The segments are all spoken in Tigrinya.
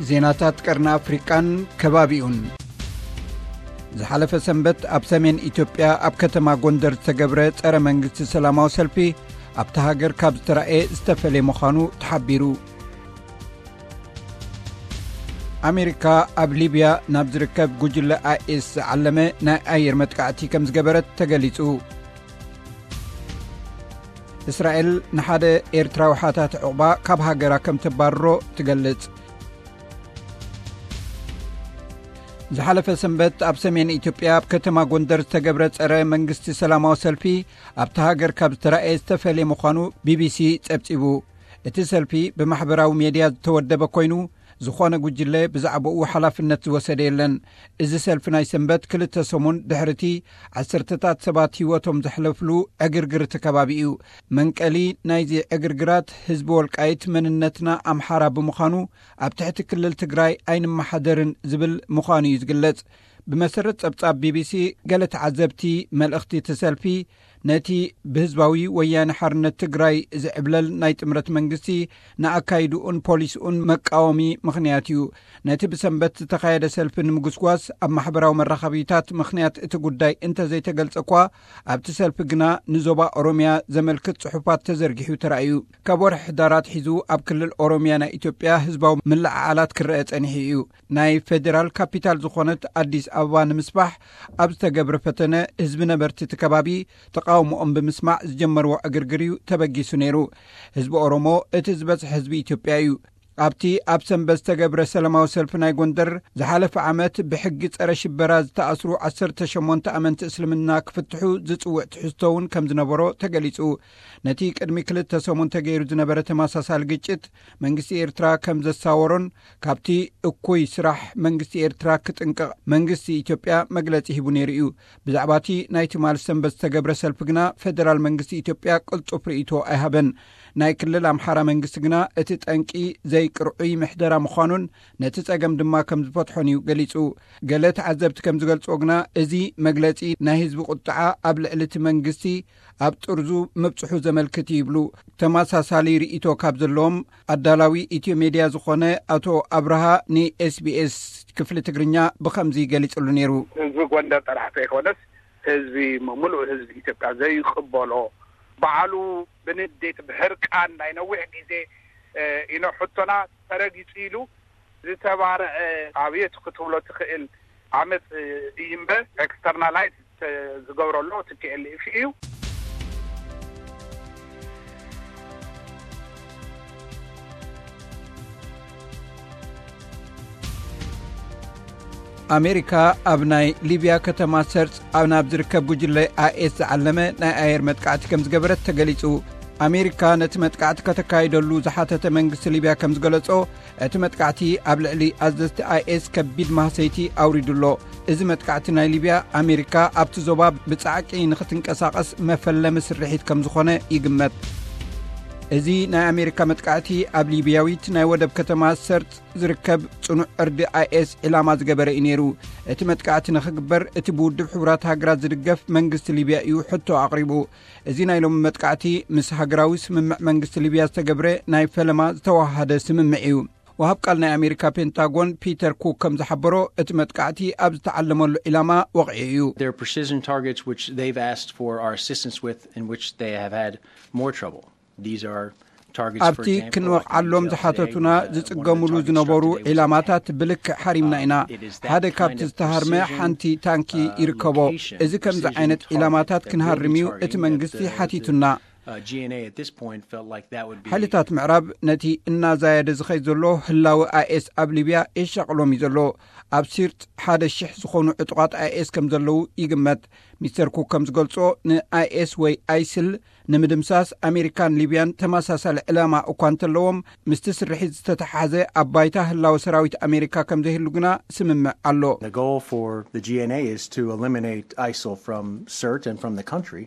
ዜናታት ቀርኒ ኣፍሪቃን ከባቢኡን። ዝሓለፈ ሰንበት ኣብ ሰሜን ኢትዮጵያ ኣብ ከተማ ጎንደር ዝተገብረ ጸረ መንግስቲ ሰላማዊ ሰልፊ ኣብታ ሃገር ካብ ዝተራእየ ዝተፈለየ ምዃኑ ተሓቢሩ። ኣሜሪካ ኣብ ሊብያ ናብ ዝርከብ ጉጅለ ኣይኤስ ዝዓለመ ናይ ኣየር መጥቃዕቲ ከም ዝገበረት ተገሊጹ። እስራኤል ንሓደ ኤርትራዊ ሓታቲ ዕቑባ ካብ ሃገራ ከም ተባርሮ ትገልጽ። ዝሓለፈ ሰንበት ኣብ ሰሜን ኢትዮጵያ ኣብ ከተማ ጎንደር ዝተገብረ ጸረ መንግስቲ ሰላማዊ ሰልፊ ኣብታ ሃገር ካብ ዝተራእየ ዝተፈለየ ምዃኑ ቢቢሲ ጸብጺቡ። እቲ ሰልፊ ብማሕበራዊ ሜድያ ዝተወደበ ኮይኑ፣ ዝኾነ ጉጅለ ብዛዕባኡ ሓላፍነት ዝወሰደ የለን። እዚ ሰልፊ ናይ ሰንበት ክልተ ሰሙን ድሕርቲ ዓሰርተታት ሰባት ህይወቶም ዘሕለፍሉ ዕግርግር እቲ ከባቢ እዩ። መንቀሊ ናይዚ ዕግርግራት ህዝቢ ወልቃይት መንነትና ኣምሓራ ብምዃኑ ኣብ ትሕቲ ክልል ትግራይ ኣይንመሓደርን ዝብል ምዃኑ እዩ ዝግለጽ። ብመሰረት ጸብጻብ ቢቢሲ፣ ገለ ተዓዘብቲ መልእኽቲ እቲ ሰልፊ ነቲ ብህዝባዊ ወያነ ሓርነት ትግራይ ዝዕብለል ናይ ጥምረት መንግስቲ ንኣካይድኡን ፖሊስኡን መቃወሚ ምኽንያት እዩ። ነቲ ብሰንበት ዝተኻየደ ሰልፊ ንምጉስጓስ ኣብ ማሕበራዊ መራኸቢታት ምኽንያት እቲ ጉዳይ እንተዘይተገልጸ እኳ፣ ኣብቲ ሰልፊ ግና ንዞባ ኦሮሚያ ዘመልክት ጽሑፋት ተዘርጊሑ ተራእዩ። ካብ ወርሒ ሕዳር ኣትሒዙ ኣብ ክልል ኦሮሚያ ናይ ኢትዮጵያ ህዝባዊ ምልዕዓላት ክረአ ጸኒሑ እዩ። ናይ ፌዴራል ካፒታል ዝኾነት ኣዲስ ኣበባ ንምስፋሕ ኣብ ዝተገብረ ፈተነ፣ ህዝቢ ነበርቲ እቲ ከባቢ ተቓውሞኦም ብምስማዕ ዝጀመርዎ ዕግርግር እዩ ተበጊሱ ነይሩ። ህዝቢ ኦሮሞ እቲ ዝበዝሐ ህዝቢ ኢትዮጵያ እዩ። ኣብቲ ኣብ ሰንበት ዝተገብረ ሰላማዊ ሰልፊ ናይ ጎንደር፣ ዝሓለፈ ዓመት ብሕጊ ጸረ ሽበራ ዝተኣስሩ ዓሰርተ ሸሞንተ ኣመንቲ እስልምና ክፍትሑ ዝጽውዕ ትሕዝቶ እውን ከም ዝነበሮ ተገሊጹ። ነቲ ቅድሚ ክልተ ሰሙን ተገይሩ ዝነበረ ተመሳሳሊ ግጭት መንግስቲ ኤርትራ ከም ዘሳወሮን ካብቲ እኩይ ስራሕ መንግስቲ ኤርትራ ክጥንቀቕ መንግስቲ ኢትዮጵያ መግለጺ ሂቡ ነይሩ እዩ። ብዛዕባ እቲ ናይ ትማሊ ሰንበት ዝተገብረ ሰልፊ ግና ፌደራል መንግስቲ ኢትዮጵያ ቅልጡፍ ርእይቶ ኣይሃበን። ናይ ክልል ኣምሓራ መንግስቲ ግና እቲ ጠንቂ ዘይቅርዑይ ምሕደራ ምዃኑን ነቲ ጸገም ድማ ከም ዝፈትሖን እዩ ገሊጹ። ገለ ተዓዘብቲ ከም ዝገልጽዎ ግና፣ እዚ መግለጺ ናይ ህዝቢ ቁጥዓ ኣብ ልዕሊ እቲ መንግስቲ ኣብ ጥርዙ ምብጽሑ ዘመልክት እዩ ይብሉ። ተመሳሳሊ ርእይቶ ካብ ዘለዎም ኣዳላዊ ኢትዮ ሜድያ ዝኾነ ኣቶ ኣብርሃ ንኤስቢኤስ ክፍሊ ትግርኛ ብኸምዚ ገሊጽሉ ነይሩ። ህዝቢ ጎንደር ጥራሕ ዘይኮነስ፣ ህዝቢ፣ ምሉእ ህዝቢ ኢትዮጵያ ዘይቅበሎ፣ ባዕሉ ብንዴት፣ ብሕርቃን ናይ ነዊሕ ግዜ፣ እ፣ ኢኖ ሕቶና ተረጊጹ ኢሉ ዝተባረዐ ኣብየት ክትብሎ ትኽእል ዓመፅ እዩ እምበር፣ ኤክስተርናላይዝ ዝገብረሎ ቲፒኤልኤፍ እዩ። ኣሜሪካ ኣብ ናይ ሊብያ ከተማ ሰርጽ ኣብ ናብ ዝርከብ ጉጅለ ኣይኤስ ዝዓለመ ናይ ኣየር መጥቃዕቲ ከም ዝገበረት ተገሊጹ። ኣሜሪካ ነቲ መጥቃዕቲ ከተካይደሉ ዝሓተተ መንግስቲ ሊብያ ከም ዝገለጾ፣ እቲ መጥቃዕቲ ኣብ ልዕሊ ኣዘዝቲ ኣይኤስ ከቢድ ማህሰይቲ ኣውሪዱ ኣሎ። እዚ መጥቃዕቲ ናይ ሊብያ፣ ኣሜሪካ ኣብቲ ዞባ ብጻዕቂ ንኽትንቀሳቐስ መፈለሚ ስርሒት ከም ዝኾነ ይግመት። እዚ ናይ ኣሜሪካ መጥቃዕቲ ኣብ ሊብያዊት ናይ ወደብ ከተማ ሰርጥ ዝርከብ ጽኑዕ ዕርዲ ኣይኤስ ዒላማ ዝገበረ እዩ ነይሩ። እቲ መጥቃዕቲ ንኽግበር እቲ ብውድብ ሕቡራት ሃገራት ዝድገፍ መንግስቲ ሊብያ እዩ ሕቶ ኣቕሪቡ። እዚ ናይ ሎሚ መጥቃዕቲ ምስ ሃገራዊ ስምምዕ መንግስቲ ሊብያ ዝተገብረ ናይ ፈለማ ዝተዋሃደ ስምምዕ እዩ። ወሃብ ቃል ናይ ኣሜሪካ ፔንታጎን ፒተር ኩክ ከም ዝሓበሮ፣ እቲ መጥቃዕቲ ኣብ ዝተዓለመሉ ዒላማ ወቕዒ እዩ። There are precision targets which they've asked for our assistance with, in which they have had more trouble. These are targets, for ኣብቲ example, ክንወቕዓሎም ዝሓተቱና ዝጽገሙሉ ዝነበሩ ዒላማታት ብልክዕ ሓሪምና ኢና። ሓደ ካብቲ ዝተሃርመ ሓንቲ ታንኪ ይርከቦ። እዚ ከምዚ ዓይነት ዒላማታት ክንሃርም እዩ እቲ መንግስቲ ሓቲቱና። ሓይልታት ምዕራብ ነቲ እናዛየደ ዝኸይድ ዘሎ ህላወ ኣይኤስ ኣብ ሊብያ የሻቕሎም እዩ ዘሎ። ኣብ ሲርጥ ሓደ ሽሕ ዝኾኑ ዕጡቓት ኣይኤስ ከም ዘለዉ ይግመት። ሚስተር ኩክ ከም ዝገልጾ፣ ንኣይኤስ ወይ ኣይስል ንምድምሳስ ኣሜሪካን ሊብያን ተመሳሳሊ ዕላማ እኳ እንተለዎም፣ ምስቲ ስርሒት ዝተተሓሓዘ ኣብ ባይታ ህላወ ሰራዊት ኣሜሪካ ከም ዘይህሉ ግና ስምምዕ ኣሎ። The goal for the G N A is to eliminate ISIL from Sirte and from the country.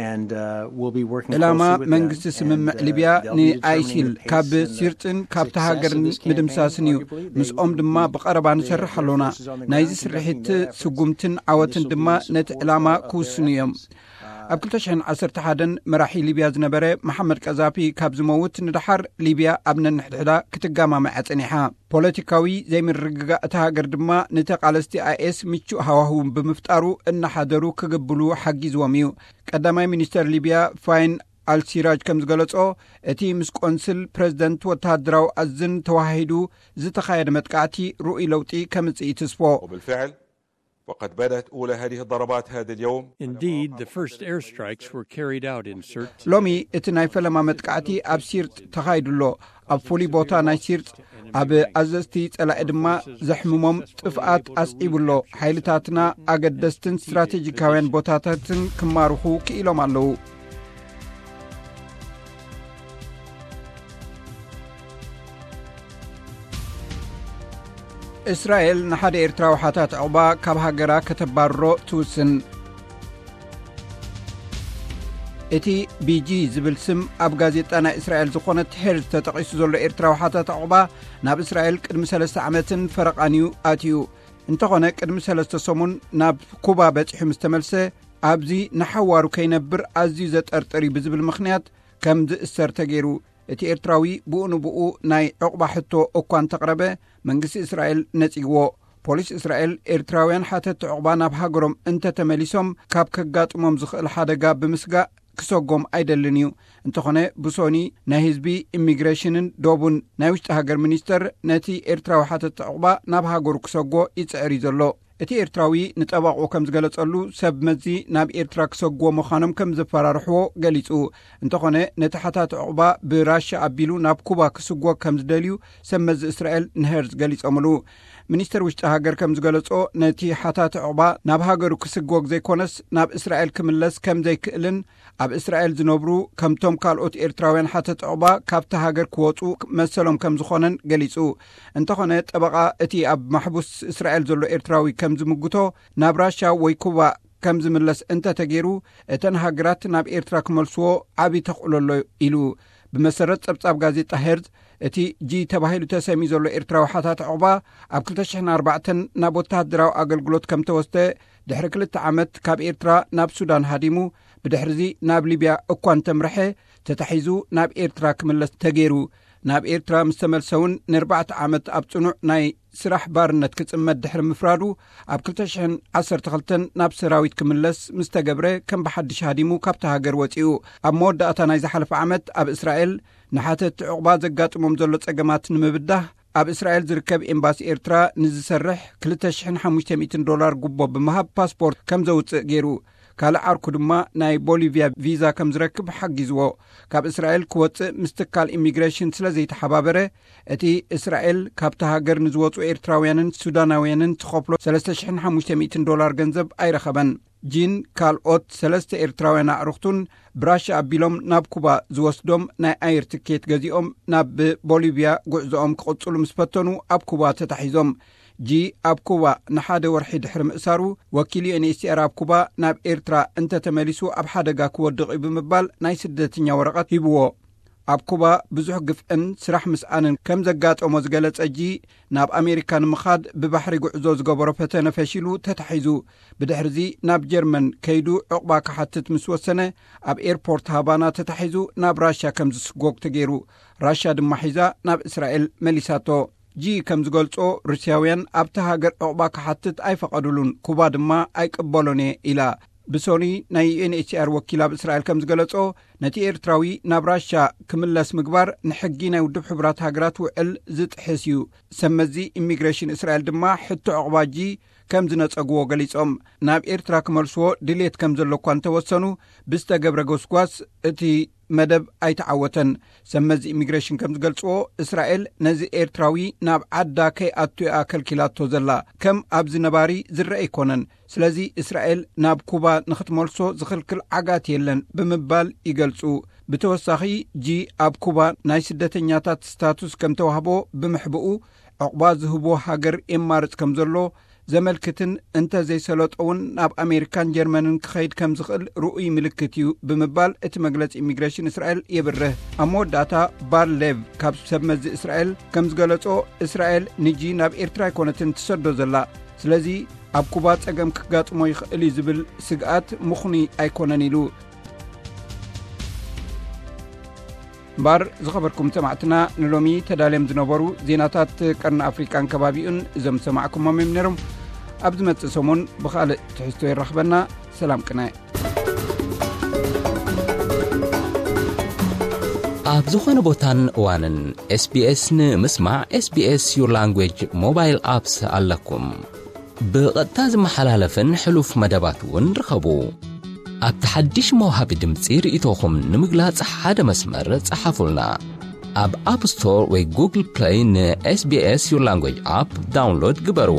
And, uh, we'll be working ዕላማ closely with them መንግስቲ ስምምዕ and, uh, ሊብያ they'll be ንኣይሲል determining the ካብ pace and the ሲርጥን ካብቲ success of ሃገርን this campaign, ምድምሳስን እዩ። arguably. They ምስኦም will ድማ be ብቐረባ the ንሰርሕ ኣለና። emphasis on the ናይዚ ground ስርሒት conducting their efforts. ስጉምትን ዓወትን Initial ድማ ነቲ pieces ዕላማ of, of ክውስኑ their እዮም። Efforts. Uh, ኣብ ክልተ ሽሕን ዓሰርተ ሓደን መራሒ ሊብያ ዝነበረ መሓመድ ቀዛፊ ካብ ዝመውት ንደሓር፣ ሊብያ ኣብ ነንሕድሕዳ ክትጋማመዐ ጸኒሓ። ፖለቲካዊ ዘይምርግጋእ እታ ሃገር ድማ ንተቓለስቲ ኣይኤስ ምቹእ ሃዋህው ብምፍጣሩ፣ እናሓደሩ ክግብሉ ሓጊዝዎም እዩ። ቀዳማይ ሚኒስተር ሊብያ ፋይን ኣልሲራጅ ከም ዝገለጾ፣ እቲ ምስ ቆንስል ፕሬዝደንት ወተሃደራዊ ኣዝን ተዋሃሂዱ ዝተኻየደ መጥቃዕቲ ርኡይ ለውጢ ከምጽእ እዩ ትስፎ። وبالفعل، وقد بدأت أولى هذه الضربات هذا اليوم. Indeed, the first airstrikes were carried out in Sirte. ሎሚ እቲ ናይ ፈለማ መጥቃዕቲ ኣብ ሲርጥ ተኻይዱ ኣሎ። ኣብ ፍሉይ ቦታ ናይ ሲርጥ፣ ኣብ ኣዘዝቲ ጸላኢ ድማ ዘሕምሞም ጥፍኣት ኣስዒቡ ኣሎ። ሓይልታትና ኣገደስትን ስትራቴጂካውያን ቦታታትን ክማርኹ ክኢሎም ኣለዉ። እስራኤል ንሓደ ኤርትራዊ ሓታት ዕቑባ ካብ ሃገራ ከተባርሮ ትውስን። እቲ ቢጂ ዝብል ስም ኣብ ጋዜጣ ናይ እስራኤል ዝኾነት ሄርዝ ተጠቒሱ ዘሎ ኤርትራዊ ሓታት ዕቑባ፣ ናብ እስራኤል ቅድሚ ሰለስተ ዓመትን ፈረቓን እዩ ኣትዩ። እንተኾነ፣ ቅድሚ ሰለስተ ሰሙን ናብ ኩባ በጺሑ ምስ ተመልሰ፣ ኣብዚ ንሓዋሩ ከይነብር ኣዝዩ ዘጠርጥር እዩ ብዝብል ምኽንያት ከም ዝእሰር ተገይሩ። እቲ ኤርትራዊ ብኡ ንብኡ ናይ ዕቑባ ሕቶ እኳ እንተቕረበ፣ መንግስቲ እስራኤል ነጺግዎ። ፖሊስ እስራኤል፣ ኤርትራውያን ሓተቲ ዕቑባ ናብ ሃገሮም እንተተመሊሶም፣ ካብ ከጋጥሞም ዝኽእል ሓደጋ ብምስጋእ ክሰጎም ኣይደልን እዩ። እንተኾነ፣ ብሶኒ ናይ ህዝቢ፣ ኢሚግሬሽንን ዶቡን ናይ ውሽጢ ሃገር ሚኒስተር ነቲ ኤርትራዊ ሓተቲ ዕቑባ ናብ ሃገሩ ክሰጎ ይጽዕር እዩ ዘሎ። እቲ ኤርትራዊ ንጠበቕኡ ከም ዝገለጸሉ፣ ሰብ መዚ ናብ ኤርትራ ክሰጉዎ ምዃኖም ከም ዘፈራርሕዎ ገሊጹ። እንተኾነ፣ ነቲ ሓታት ዕቑባ ብራሻ ኣቢሉ ናብ ኩባ ክስጎግ ከም ዝደልዩ ሰብ መዚ እስራኤል ንሄርዝ ገሊጾምሉ። ሚኒስተር ውሽጢ ሃገር ከም ዝገለጾ፣ ነቲ ሓታት ዕቑባ ናብ ሃገሩ ክስጎግ ዘይኮነስ፣ ናብ እስራኤል ክምለስ ከም ዘይክእልን፣ ኣብ እስራኤል ዝነብሩ ከምቶም ካልኦት ኤርትራውያን ሓተት ዕቑባ ካብቲ ሃገር ክወጹ መሰሎም ከም ዝኾነን ገሊጹ። እንተኾነ፣ ጠበቓ እቲ ኣብ ማሕቡስ እስራኤል ዘሎ ኤርትራዊ ከም ዝምጉቶ፣ ናብ ራሻ ወይ ኩባ ከም ዝምለስ እንተተገይሩ፣ እተን ሃገራት ናብ ኤርትራ ክመልስዎ ዓቢ ተኽእሎ ኣሎ ኢሉ። ብመሰረት ጸብጻብ ጋዜጣ ሄርዝ፣ እቲ ጂ ተባሂሉ ተሰምዩ ዘሎ ኤርትራዊ ሓታት ዕቑባ፣ ኣብ ክልተ ሽሕን ኣርባዕተን ናብ ወተሃደራዊ ኣገልግሎት ከም ተወስደ፣ ድሕሪ ክልተ ዓመት ካብ ኤርትራ ናብ ሱዳን ሃዲሙ፣ ብድሕርዚ ናብ ሊብያ እኳ እንተምርሐ፣ ተታሒዙ ናብ ኤርትራ ክምለስ ተገይሩ። ናብ ኤርትራ ምስ ተመልሰ እውን፣ ንኣርባዕተ ዓመት ኣብ ጽኑዕ ናይ ስራሕ ባርነት ክጽመድ ድሕሪ ምፍራዱ፣ ኣብ ክልተ ሽሕን ዓሰርተ ክልተን ናብ ሰራዊት ክምለስ ምስ ተገብረ፣ ከም ብሓድሽ ሃዲሙ ካብታ ሃገር ወጺኡ። ኣብ መወዳእታ ናይ ዝሓለፈ ዓመት፣ ኣብ እስራኤል ንሓተቲ ዕቑባ ዘጋጥሞም ዘሎ ጸገማት ንምብዳህ፣ ኣብ እስራኤል ዝርከብ ኤምባሲ ኤርትራ ንዝሰርሕ ክልተ ሽሕን ሓሙሽተ ሚእትን ዶላር ጉቦ ብምሃብ፣ ፓስፖርት ከም ዘውጽእ ገይሩ። ካልእ ዓርኩ ድማ ናይ ቦሊቪያ ቪዛ ከም ዝረክብ ሓጊዝዎ። ካብ እስራኤል ክወጽእ ምስ ትካል ኢሚግሬሽን ስለ ዘይተሓባበረ፣ እቲ እስራኤል ካብቲ ሃገር ንዝወጹ ኤርትራውያንን ሱዳናውያንን ትኸፍሎ ሰለስተ ሽሕን ሓሙሽተ ሚእትን ዶላር ገንዘብ ኣይረኸበን። ጂን ካልኦት ሰለስተ ኤርትራውያን ኣዕሩኽቱን ብራሻ ኣቢሎም ናብ ኩባ ዝወስዶም ናይ ኣየር ትኬት ገዚኦም፣ ናብ ቦሊቪያ ጉዕዞኦም ክቕጽሉ ምስ ፈተኑ፣ ኣብ ኩባ ተታሒዞም። ጂ ኣብ ኩባ ንሓደ ወርሒ ድሕሪ ምእሳሩ፣ ወኪል ዩ ኤን ኤች ሲ ኣር ኣብ ኩባ፣ ናብ ኤርትራ እንተተመሊሱ ኣብ ሓደጋ ክወድቕ እዩ ብምባል ናይ ስደተኛ ወረቐት ሂብዎ። ኣብ ኩባ ብዙሕ ግፍዕን ስራሕ ምስኣንን ከም ዘጋጠሞ ዝገለጸ ጂ፣ ናብ ኣሜሪካ ንምኻድ ብባሕሪ ጉዕዞ ዝገበሮ ፈተነ ፈሺሉ ተታሒዙ። ብድሕርዚ ናብ ጀርመን ከይዱ ዕቑባ ክሓትት ምስ ወሰነ፣ ኣብ ኤርፖርት ሃቫና ተታሒዙ ናብ ራሻ ከም ዝስጎግ ተገይሩ። ራሻ ድማ ሒዛ ናብ እስራኤል መሊሳቶ። ጂ ከም ዝገልጾ፣ ሩስያውያን ኣብቲ ሃገር ዕቑባ ክሓትት ኣይፈቐዱሉን፣ ኩባ ድማ ኣይቅበሎን እየ ኢላ። ብሶኒ ናይ ዩ ኤን ኤች ሲ ኣር ወኪል ኣብ እስራኤል ከም ዝገለጾ፣ ነቲ ኤርትራዊ ናብ ራሻ ክምለስ ምግባር ንሕጊ ናይ ውድብ ሕቡራት ሃገራት ውዕል ዝጥሕስ እዩ። ሰብ መዚ ኢሚግሬሽን እስራኤል ድማ፣ ሕቶ ዕቑባ ጂ ከም ዝነጸግዎ ገሊጾም። ናብ ኤርትራ ክመልስዎ ድሌት ከም ዘሎ እኳ እንተወሰኑ፣ ብዝተገብረ ጎስጓስ እቲ መደብ ኣይተዓወተን። ሰብ መዚ ኢሚግሬሽን ከም ዝገልጽዎ፣ እስራኤል ነዚ ኤርትራዊ ናብ ዓዳ ከይኣቱ እያ ከልኪላቶ ዘላ። ከም ኣብዚ ነባሪ ዝረአ ኣይኮነን። ስለዚ እስራኤል ናብ ኩባ ንኽትመልሶ ዝኽልክል ዓጋት የለን ብምባል ይገልጹ። ብተወሳኺ፣ ጂ ኣብ ኩባ ናይ ስደተኛታት ስታቱስ ከም ተዋህቦ ብምሕብኡ፣ ዕቑባ ዝህቦ ሃገር የማርጽ ከም ዘሎ ዘመልክትን፣ እንተ ዘይሰለጦ እውን ናብ ኣሜሪካን ጀርመንን ክኸይድ ከም ዝኽእል ርኡይ ምልክት እዩ ብምባል እቲ መግለጺ ኢሚግሬሽን እስራኤል የብርህ። ኣብ መወዳእታ፣ ባር ሌቭ ካብ ሰብ መዚ እስራኤል ከም ዝገለጾ፣ እስራኤል ንጂ ናብ ኤርትራ ኣይኮነትን ትሰዶ ዘላ። ስለዚ ኣብ ኩባ ጸገም ክጋጥሞ ይኽእል እዩ ዝብል ስግኣት ምኽኑይ ኣይኮነን ኢሉ። እምበኣር ዝኸበርኩም ሰማዕትና፣ ንሎሚ ተዳልዮም ዝነበሩ ዜናታት ቀርኒ ኣፍሪቃን ከባቢኡን እዞም ዝሰማዕኩሞም እዮም ነይሮም። ኣብ ዝመጽእ ሰሙን ብኻልእ ትሕዝቶ ይራኽበና። ሰላም ቅነ። ኣብ ዝኾነ ቦታን እዋንን ኤስቢኤስ ንምስማዕ፣ SBS Your Language ሞባይል ኣፕስ ኣለኩም። ብቐጥታ ዝመሓላለፍን ሕሉፍ መደባት እውን ርኸቡ። ኣብቲ ሓድሽ መውሃቢ ድምፂ ርእይቶኹም ንምግላጽ ሓደ መስመር ጸሓፉልና። ኣብ ኣፕ ስቶር ወይ ጉግል ፕለይ ን SBS Your Language ኣፕ ዳውንሎድ ግበሩ።